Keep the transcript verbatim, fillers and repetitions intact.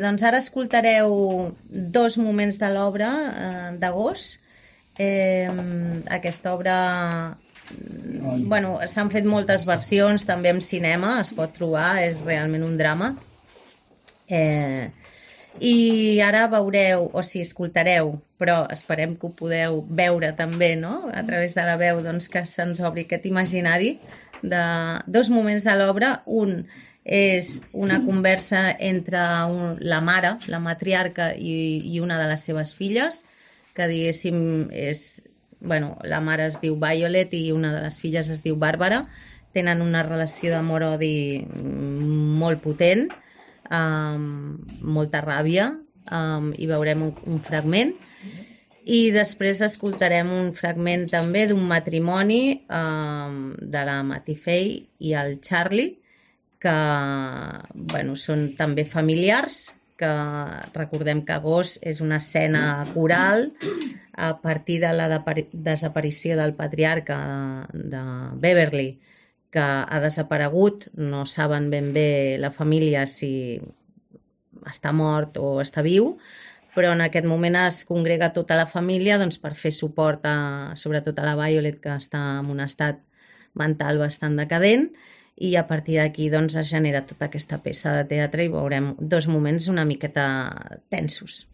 Doncs ara escoltareu dos moments de l'obra eh, d'agost. Eh, aquesta obra, bueno, s'han fet moltes versions, també en cinema, es pot trobar, és realment un drama. Eh, I ara veureu, o sigui, escoltareu, però esperem que ho podeu veure també, no?, a través de la veu, doncs que se'ns obri aquest imaginari de dos moments de l'obra. Un és una conversa entre un, la mare, la matriarca i, i una de les seves filles, que diguéssim és, bueno, la mare es diu Violet i una de les filles es diu Bàrbara. Tenen una relació d'amor-odi molt potent, amb molta ràbia, um, i veurem un, un fragment. I després escoltarem un fragment també d'un matrimoni um, de la Matty Fay i el Charlie, que bueno, són també familiars, que recordem que agost és una escena coral a partir de la desaparició del patriarca de, de Beverly, que ha desaparegut. No saben ben bé la família si està mort o està viu, però en aquest moment es congrega tota la família doncs, per fer suport a, sobretot a la Violet, que està en un estat mental bastant decadent, i a partir d'aquí doncs, es genera tota aquesta peça de teatre i veurem dos moments una miqueta tensos.